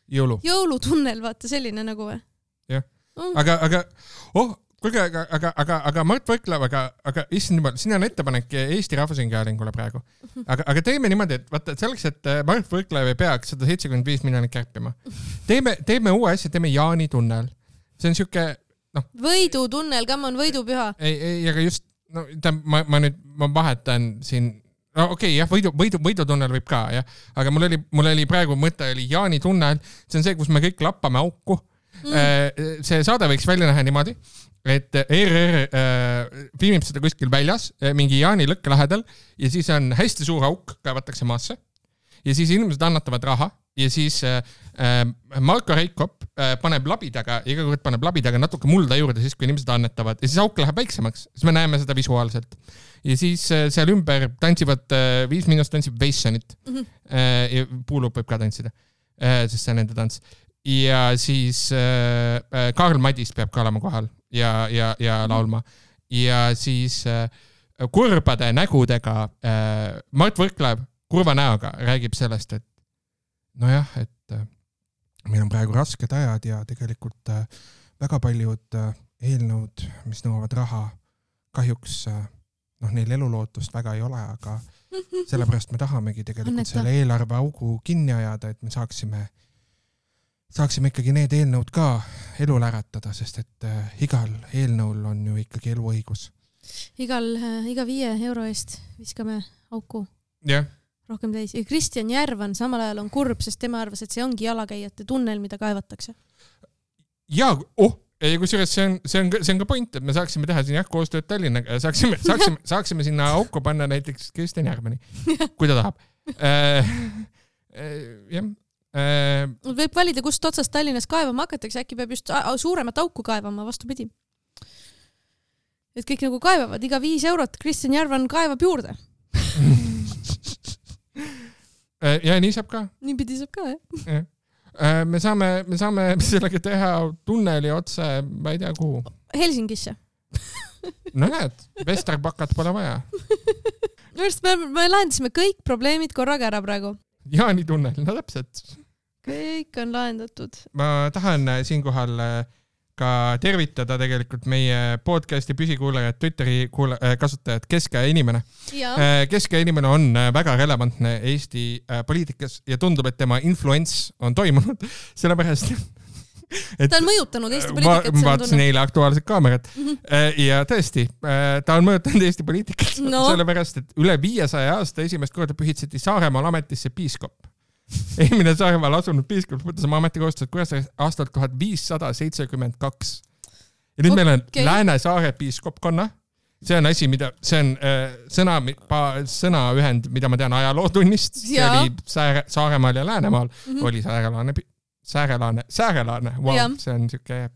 Speaker 2: Jõulutunnel, vaata, selline nagu või?
Speaker 1: Jah. Aga Mart Võrklaev, aga issand jumal, siin on ettepanek Eesti Rahvusinghäälingule praegu. Aga teeme niimoodi, et vaata selleks, et Mart Võrklaev ei peaks 175 miljonit kärpima. Teeme uue asja, teeme Jaani tunnel. See on siuke,
Speaker 2: Võidutunnel, kam on võidupüha?
Speaker 1: Ei, aga just, ma vahetan siin, jah, võidutunnel võib ka, jah. Aga mul oli praegu mõte oli Jaani tunnel, see on see, kus me kõik lappame auku. See saade võiks välja näha niimoodi, et ERR filmib seda kuskil väljas, mingi Jaani lõkke lähedal ja siis on hästi suur auk, kaevatakse maasse ja siis inimesed annatavad raha ja siis Marko Reikop paneb labidaga, iga kord paneb labidaga natuke mulda juurde siis, kui inimesed annetavad ja siis auk läheb väiksemaks, siis me näeme seda visuaalselt. Ja siis seal ümber tantsivad 5 miinust tantsib Veissonit ja Puulup võib ka tantsida, sest see on nende tants. Ja siis Karl Madis peab ka olema kohal ja laulma. Ja siis kurbade nägudega Mart Võrklaev kurva näoga räägib sellest, et nojah, et meil on praegu rasked ajad ja tegelikult väga paljud eelnõud, mis nõuavad raha, kahjuks neil elulootust väga ei ole, aga sellepärast me tahamegi tegelikult selle eelarve augu kinni ajada, et me saaksime ikkagi need eelnõud ka elul äratada, sest et igal eelnõul on ju ikkagi eluõigus.
Speaker 2: Iga 5 euro eest viskame auku.
Speaker 1: Jah.
Speaker 2: Rohkem täis. Ja Kristjan Järvan samal ajal on kurb, sest tema arvas, et see ongi jalakäijate tunnel, mida kaevatakse. Ja, kusjuures see on ka point, et me saaksime teha siin koostööd Tallinnaga ja saaksime sinna auku panna näiteks Kristjan Järvani, kui ta tahab. Jah. Võib valida, kust otsast Tallinnas kaevama hakatakse, äkki peab just suuremat auku kaevama, vastupidi. Et kõik nagu kaevavad, iga 5 eurot Kristjan Järvan kaevab juurde.
Speaker 1: Ja nii saab ka.
Speaker 2: Niipidi saab ka, jah.
Speaker 1: Me saame sellega teha tunneli otse, ma ei tea kuhu.
Speaker 2: Helsingisse.
Speaker 1: No näed, Vesterbakat pole vaja.
Speaker 2: Me lahendasime kõik probleemid korraga ära praegu.
Speaker 1: Jaani tunnel, no täpselt.
Speaker 2: Kõik on lahendatud.
Speaker 1: Ma tahan siinkohal ka tervitada tegelikult meie podcasti püsikuulajad, Twitteri kasutajad, Keskaja inimene. Keskaja inimene on väga relevantne Eesti poliitikas ja tundub, et tema influents on toimunud, sellepärast
Speaker 2: ta on mõjutanud Eesti poliitikat.
Speaker 1: Ma vaatasin eile Aktuaalset Kaamerat ja tõesti, ta on mõjutanud Eesti poliitikat sellepärast, et üle 500 aasta esimest korda pühitseti Saaremaal ametisse piiskop. Eelmine Saaremaal asunud piiskop võttis oma ametikohustused Kuressaares aastal 1572. Ja nüüd meil on Lääne-Saare piiskopkonna. See on asi, see on sõnaühend, mida ma tean ajalootunnist. See oli Saaremaal ja Läänemaal. Oli Säärelaane, wow, see on siuke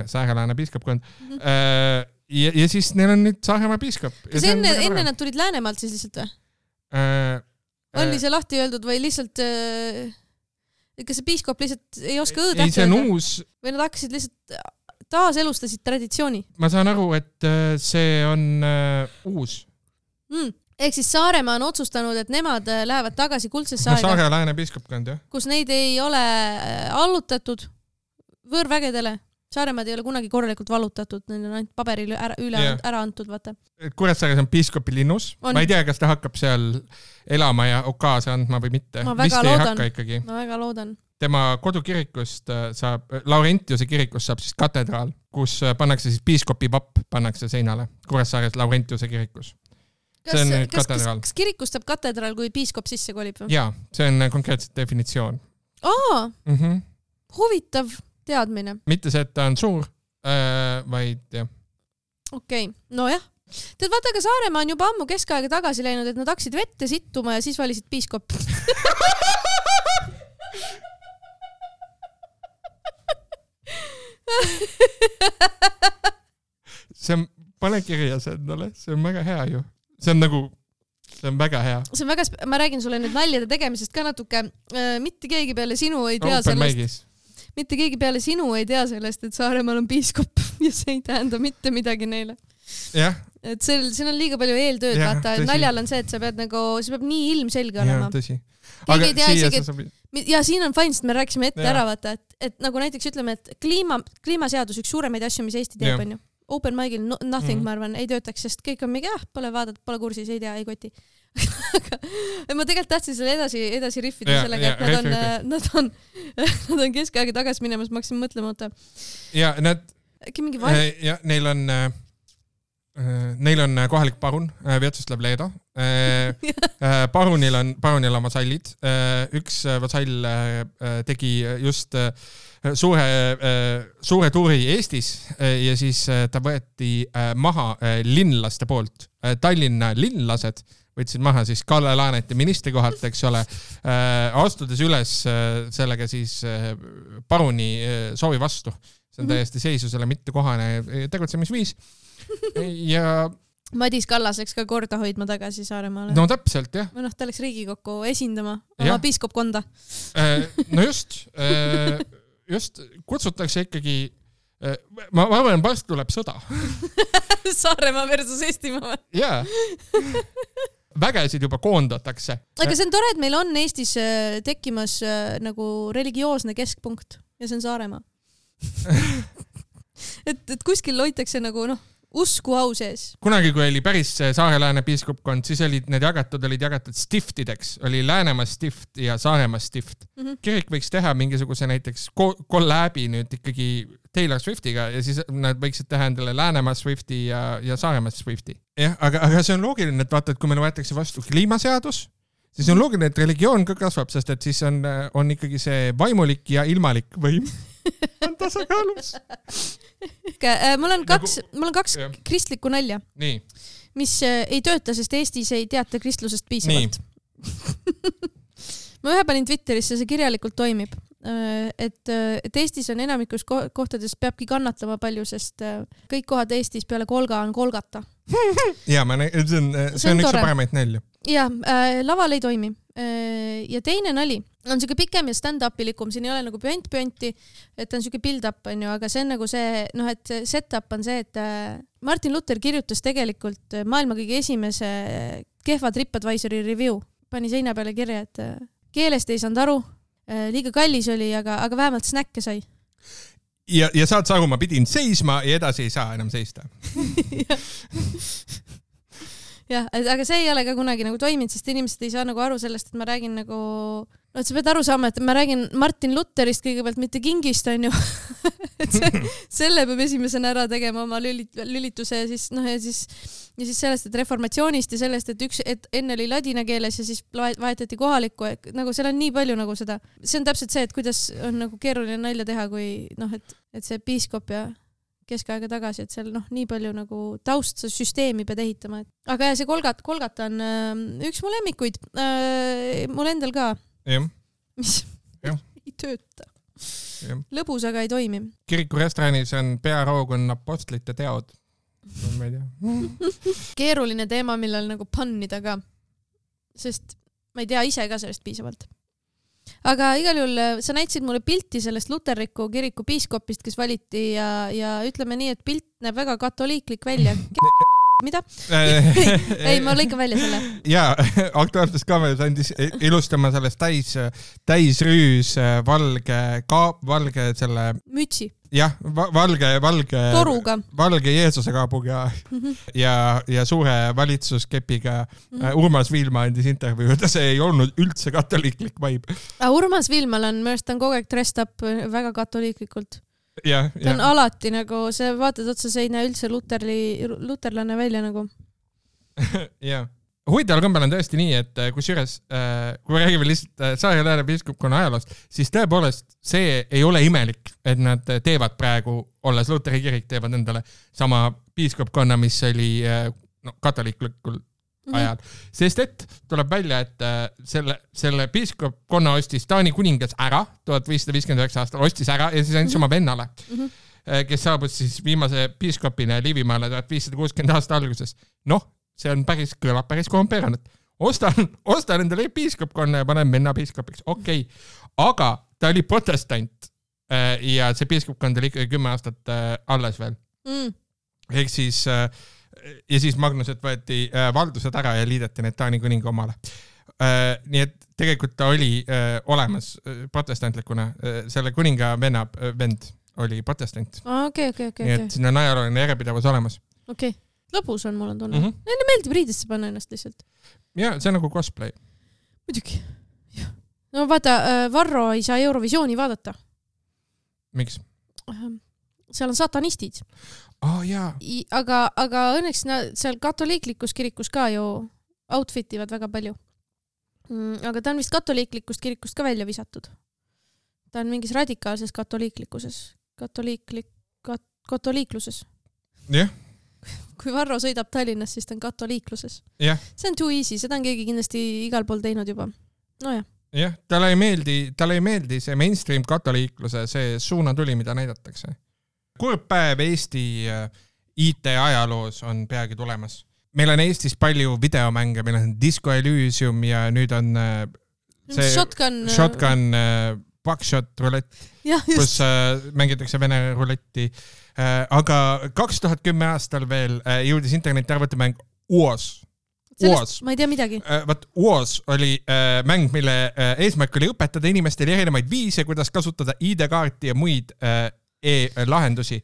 Speaker 1: Säärelaane piiskopkond. Ja siis neil on nüüd Saaremaa piiskop.
Speaker 2: Kas enne nad tulid Läänemaalt siis lihtsalt või? Oli see lahti öeldud või lihtsalt, kas see piiskop lihtsalt ei oska õõd
Speaker 1: ei, see on uus.
Speaker 2: Või nad hakkasid lihtsalt taaselustasid traditsiooni?
Speaker 1: Ma saan aru, et see on uus.
Speaker 2: Ehk siis Saaremaa on otsustanud, et nemad lähevad tagasi kuldsesse aega.
Speaker 1: Saare Lääne piiskopkond, jah.
Speaker 2: Kus neid ei ole allutatud võõrvägedele. Saaremaad ei ole kunagi korralikult vallutatud, neil on ainult paberil ära antud, vaata.
Speaker 1: Kuressaares on piiskopi linnus. Ma ei tea, kas ta hakkab seal elama ja okaase andma või mitte.
Speaker 2: Ma väga loodan.
Speaker 1: Tema kodukirikust saab, Laurentiuse kirikust saab siis katedraal, kus pannakse siis piiskopi vapp, pannakse seinale. Kuressaares Laurentiuse kirikus.
Speaker 2: Kas kirikust saab katedraal, kui piiskop sisse kolib?
Speaker 1: Jaa, see on konkreetselt definitsioon.
Speaker 2: Huvitav teadmine.
Speaker 1: Mitte see, et ta on suur, vaid jah.
Speaker 2: Okei, no jah. Tead, vaata, aga Saaremaa on juba ammu keskaega tagasi läinud, et nad hakkasid vette sittuma ja siis valisid piiskop.
Speaker 1: See on, pane kirja see endale, see on väga hea ju. See on väga hea.
Speaker 2: See on väga, ma räägin sulle nüüd naljade tegemisest ka natuke. Mitte keegi peale sinu ei tea sellest. Mitte keegi peale sinu ei tea sellest, et Saaremaal on piiskop ja see ei tähenda mitte midagi neile.
Speaker 1: Jah.
Speaker 2: Et siin on liiga palju eeltööd, vaata. Naljal on see, et sa pead nii ilmselge olema.
Speaker 1: Jah, tõsi.
Speaker 2: Keegi ei tea isegi, ja siin on fine, sest me rääkisime ette ära, vaata, et nagu näiteks ütleme, et kliimaseadus üks suuremaid asju, mis Eesti teeb, on ju. Open mic'il nothing, ma arvan, ei töötaks, sest kõik on mingi, pole vaadata, pole kursis, ei tea, ei koti. Ma tegelikult tahtsin selle edasi riffida sellega, et nad on keskaega tagasi minemas, ma hakkasin mõtlema, oota.
Speaker 1: Ja nad,
Speaker 2: ja,
Speaker 1: neil on kohalik parun, Vjatsoslav Leedo. Parunil on vasallid. Üks vasall tegi just suure tuuri Eestis ja siis ta võeti maha linlaste poolt. Tallinna linlased võtsid maha siis Kalle Laaneti ministerikohalt, eks ole, astudes üles sellega siis paruni soovi vastu. See on täiesti seisusele mittekohane tegutsemisviis. Ja
Speaker 2: Madis Kallas läks ka korda hoidma tagasi Saaremaale.
Speaker 1: No täpselt, jah.
Speaker 2: Või ta läks Riigikokku esindama oma piiskopkonda.
Speaker 1: No just kutsutakse ikkagi, ma arvan, vast tuleb sõda.
Speaker 2: Saaremaa versus Eestimaa.
Speaker 1: Jaa. Vägesid juba koondatakse.
Speaker 2: Aga see on tore, et meil on Eestis tekkimas nagu religioosne keskpunkt ja see on Saaremaa. Et kuskil loitakse nagu, usku au sees.
Speaker 1: Kunagi, kui oli päris Saare-Lääne piiskopkond, siis olid jagatud stiftideks. Oli Läänemaa stift ja Saaremaa stift. Kirik võiks teha mingisuguse näiteks kolläbi nüüd ikkagi Taylor Swiftiga ja siis nad võiksid teha endale Läänemaa Swifti ja Saaremaa Swifti. Jah, aga see on loogiline, et vaata, et kui meil võetakse vastu kliimaseadus, siis on loogiline, et religioon ka kasvab, sest et siis on ikkagi see vaimulik ja ilmalik võim on tasakaalus.
Speaker 2: Mul on kaks kristlikku nalja, mis ei tööta, sest Eestis ei teata kristlusest piisavalt. Ma ühe panin Twitterisse, see kirjalikult toimib. Et Eestis on enamikus kohtades peabki kannatlema palju, sest kõik kohad Eestis peale kolga on kolgata.
Speaker 1: Ja, see on üks paremaid nalju.
Speaker 2: Ja, laval ei toimi. Ja teine nali on siuke pikem ja stand-upilikum, siin ei ole nagu püenti, et on siuke build-up, on ju, aga see on nagu see, et set-up on see, et Martin Luther kirjutas tegelikult maailma kõige esimese kehva TripAdvisori review. Pani seina peale kirja, et keelest ei saanud aru, liiga kallis oli, aga vähemalt snäkke sai.
Speaker 1: Ja saad sa aru, ma pidin seisma ja edasi ei saa enam seista.
Speaker 2: jah, aga see ei ole ka kunagi nagu toiminud, sest inimesed ei saa nagu aru sellest, et ma räägin nagu, et sa pead aru saama, et ma räägin Martin Lutherist kõigepealt, mitte Kingist, on ju. Et selle peab esimesena ära tegema oma lülituse ja siis, ja siis sellest, et reformatsioonist ja sellest, et enne oli ladina keeles ja siis vahetati kohalikku, nagu seal on nii palju nagu seda. See on täpselt see, et kuidas on nagu keeruline nalja teha, kui et see piiskop ja keskaega tagasi, et seal nii palju nagu taustsüsteemi pead ehitama. Aga see Kolgata on üks mu lemmikuid, mul endal ka. Mis ei tööta. Lõbus, aga ei toimi.
Speaker 1: Kiriku restoranis on pearoog on apostlite teod. Ma ei tea.
Speaker 2: Keeruline teema, millel nagu pannida ka. Sest ma ei tea ise ka sellest piisavalt. Aga igal juhul sa näitasid mulle pilti sellest luterliku kiriku piiskopist, kes valiti ja ütleme nii, et pilt näeb väga katoliiklik välja. Mida? Ei, ma lõikan välja selle.
Speaker 1: Ja, Aktuaalses Kaameras andis ilustama sellest täisrüüs valge selle...
Speaker 2: Mütsi.
Speaker 1: Jah, valge
Speaker 2: toruga.
Speaker 1: Valge Jeesuse kaabuga ja suure valitsuskepiga. Urmas Viilma andis intervjuu, et see ei olnud üldse katoliiklik vibe.
Speaker 2: Urmas Viilmal on, minu arust on kogu aeg dressed up väga katoliiklikult.
Speaker 1: Ja.
Speaker 2: Ta on alati nagu, see vaatad otsa, see ei näe üldse luterlane välja nagu.
Speaker 1: Ja. Huvitaval kombel on tõesti nii, et kusjuures, kui räägime lihtsalt Saare-Lääne piiskopkonna ajaloost, siis tõepoolest see ei ole imelik, et nad teevad praegu, olles Luteri kirik, teevad endale sama piiskopkonna, mis oli katoliiklikul ajal. Sest et tuleb välja, et selle piiskopkonna ostis Taani kuningas ära 1559 aastal, ostis ära ja siis andis oma vennale, kes saabus siis viimase piiskopina Liivimaale 1560 aasta alguses. See on kõlab päris korrumpeeranud. Ostan endale piiskopkonna ja panen venna piiskopiks. Okei. Aga ta oli protestant ja see piiskopkond oli ikkagi 10 aastat alles veel. Ehk siis ja siis Magnuset võeti valdused ära ja liideti need Taani kuninga omale. Nii et tegelikult ta oli olemas protestantlikuna. Selle kuninga vend oli protestant.
Speaker 2: Okei.
Speaker 1: Nii et siin on ajalooline järjepidavus olemas.
Speaker 2: Okei. Lõbus on, mul on tunne. Neile meeldib riidesse panna ennast lihtsalt.
Speaker 1: Ja, see on nagu cosplay.
Speaker 2: Muidugi. No vaata, Varro ei saa Eurovisiooni vaadata.
Speaker 1: Miks?
Speaker 2: Seal on satanistid.
Speaker 1: Jaa.
Speaker 2: Aga õnneks seal katoliiklikus kirikus ka ju outfitivad väga palju. Aga ta on vist katoliiklikust kirikust ka välja visatud. Ta on mingis radikaalses katoliiklikluses. Katoliikluses.
Speaker 1: Jah.
Speaker 2: Kui Varro sõidab Tallinnas, siis ta on katoliikluses.
Speaker 1: Jah.
Speaker 2: See on too easy, seda on keegi kindlasti igal pool teinud juba. Nojah.
Speaker 1: Jah, talle ei meeldi see mainstream katoliikluse, see suunatuli, mida näidatakse. Kurb päev Eesti IT-ajaloos on peagi tulemas. Meil on Eestis palju videomänge, meil on Disco Elysium ja nüüd on see Shotgun Buckshot rulett, kus mängitakse Vene ruletti. Aga 2010 aastal veel jõudis interneti arvutimäng UOS.
Speaker 2: Ma ei tea midagi.
Speaker 1: UOS oli mäng, mille eesmärk oli õpetada inimestele erinevaid viise, kuidas kasutada ID-kaarti ja muid e-lahendusi.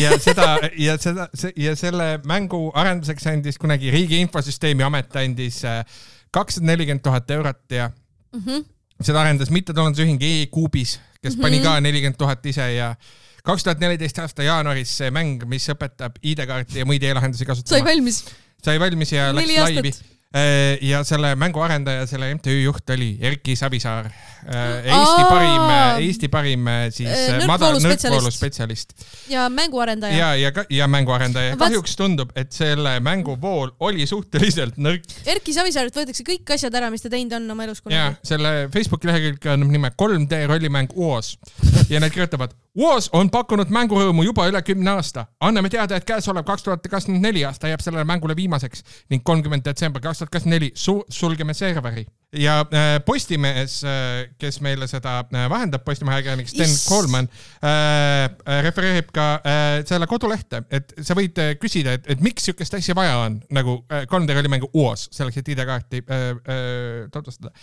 Speaker 1: Ja selle mängu arenduseks andis kunagi Riigi Infosüsteemi Amet andis 240 000 eurot ja seda arendas mittetulundusühing E-Kuubis, kes pani ka 40 000 ise ja 2014 aasta jaanuaris see mäng, mis õpetab ID-kaarti ja muid e-lahendusi kasutama. Sai valmis ja läks laivi. Ja selle mängu arendaja, selle MTÜ juht oli Erki Savisaar. Eesti parim siis nõrkvooluspetsialist.
Speaker 2: Ja mänguarendaja.
Speaker 1: Ja mänguarendaja. Kahjuks tundub, et selle mänguvool oli suhteliselt nõrk.
Speaker 2: Erki Savisaarilt võetakse kõik asjad ära, mis ta teinud on oma elus kunagi.
Speaker 1: Ja selle Facebooki lehekülg on nime 3D rollimäng UOS. Ja need kirjutavad, UOS on pakkunud mängurõõmu juba üle 10 aasta. Anname teada, et käesolev 2024 aasta jääb sellele mängule viimaseks ning 30. detsember 2024 sulgeme serveri. Ja Postimees, kes meile seda vahendab, Postimehe ajakirjanik Sten Coleman, refereerib ka selle kodulehte, et sa võid küsida, et miks sihukest asja vaja on, nagu 3D rollimängu UOS, selleks, et ID-kaarti tutvustada.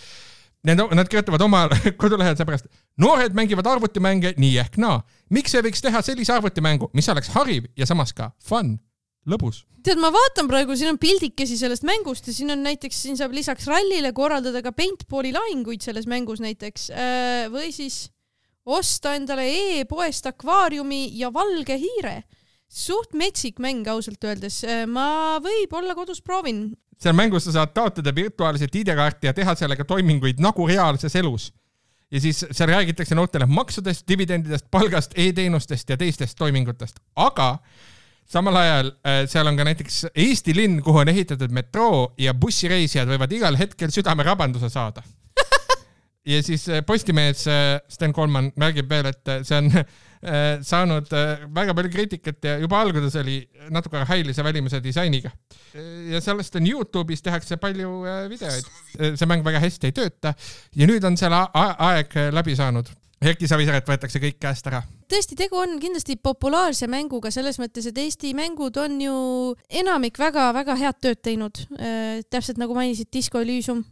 Speaker 1: Nad kirjutavad oma kodulehel seepärast, noored mängivad arvutimänge nii ehk naa. Miks ei võiks teha sellise arvutimängu, mis oleks hariv ja samas ka fun? lõbus.
Speaker 2: Tead, ma vaatan praegu, siin on pildikesi sellest mängust ja siin on näiteks, siin saab lisaks rallile korraldada ka paintballi lahinguid selles mängus näiteks või siis osta endale e-poest akvaariumi ja valge hiire. Suht metsik mäng ausalt öeldes. Ma võib-olla kodus proovin.
Speaker 1: Seal mängus sa saad taotleda virtuaalset ID-kaarti ja teha sellega toiminguid nagu reaalses elus. Ja siis seal räägitakse noortele maksudest, dividendidest, palgast, e-teenustest ja teistest toimingutest. Aga samal ajal seal on ka näiteks Eesti linn, kuhu on ehitatud metroo ja bussireisijad võivad igal hetkel südamerabanduse saada. Ja siis Postimees Sten Kollmann märgib veel, et see on saanud väga palju kriitikat ja juba alguses oli natuke hailise välimuse disainiga. Ja sellest on YouTube'is tehakse palju videoid. See mäng väga hästi ei tööta ja nüüd on seal aeg läbi saanud. Erki Savisaret võetakse kõik käest ära.
Speaker 2: Tõesti, tegu on kindlasti populaarse mänguga selles mõttes, et Eesti mängud on ju enamik väga-väga head tööd teinud. Täpselt nagu mainisid Disco Elysium.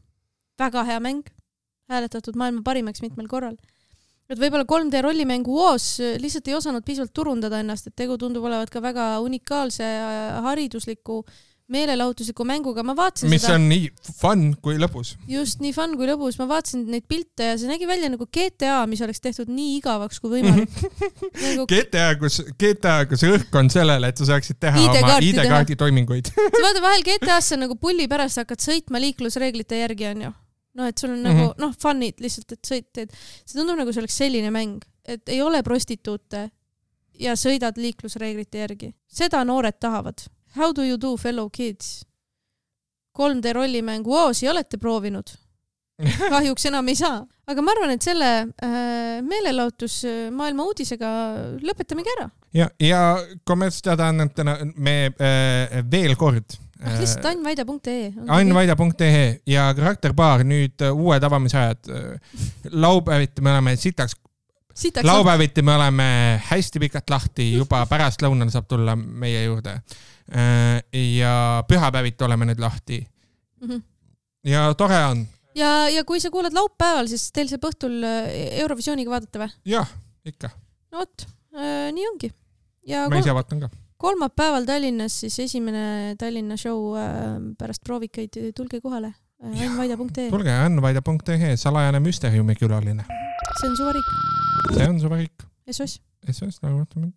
Speaker 2: Väga hea mäng. Hääletatud maailma parimaks mitmel korral. Et võib-olla 3D rollimängu UOS lihtsalt ei osanud piisavalt turundada ennast, et tegu tundub olevat ka väga unikaalse haridusliku meelelahutusliku mänguga. Ma vaatasin
Speaker 1: mis seda, on nii fun kui lõbus.
Speaker 2: Just nii fun kui lõbus. Ma vaatasin neid pilte ja see nägi välja nagu GTA, mis oleks tehtud nii igavaks kui võimalik. Nagu...
Speaker 1: GTA, kus õhk on sellele, et sa saaksid teha oma ID-kaardi toiminguid.
Speaker 2: Sa vaata vahel GTA-sse nagu pulli pärast hakkad sõitma liiklusreeglite järgi on ju. No, et sul on nagu, funid lihtsalt, et sõitteed. See tundub nagu see oleks selline mäng, et ei ole prostituute ja sõidad liiklusreeglite järgi. Seda noored tahavad. How do you do, fellow kids? 3D rollimängu OOS-i olete proovinud? Kahjuks enam ei saa. Aga ma arvan, et selle meelelahutus maailma uudisega lõpetamegi ära.
Speaker 1: Ja kommertsteadaannetena me veel kord
Speaker 2: lihtsalt annvaida.ee
Speaker 1: annvaida.ee ja karakterbaar nüüd uued avamisajad. Laupäeviti me oleme laupäeviti me oleme hästi pikalt lahti, juba pärast lõunal saab tulla meie juurde. Ja pühapäeviti oleme nüüd lahti. Ja tore on.
Speaker 2: Ja kui sa kuulad laupäeval, siis teil saab õhtul Eurovisiooniga vaadata või?
Speaker 1: Jah, ikka.
Speaker 2: No võt, nii ongi. Ja
Speaker 1: ma ise vaatan ka.
Speaker 2: Kolmapäeval Tallinnas siis esimene Tallinna show pärast proovikeid, tulge kohale. Annvaida.ee
Speaker 1: Tulge annvaida.ee, salajane müsteeriumi külaline.
Speaker 2: See on Suvariik.
Speaker 1: See on Suvariik.
Speaker 2: SOS.
Speaker 1: SOS, nagu mõtleme.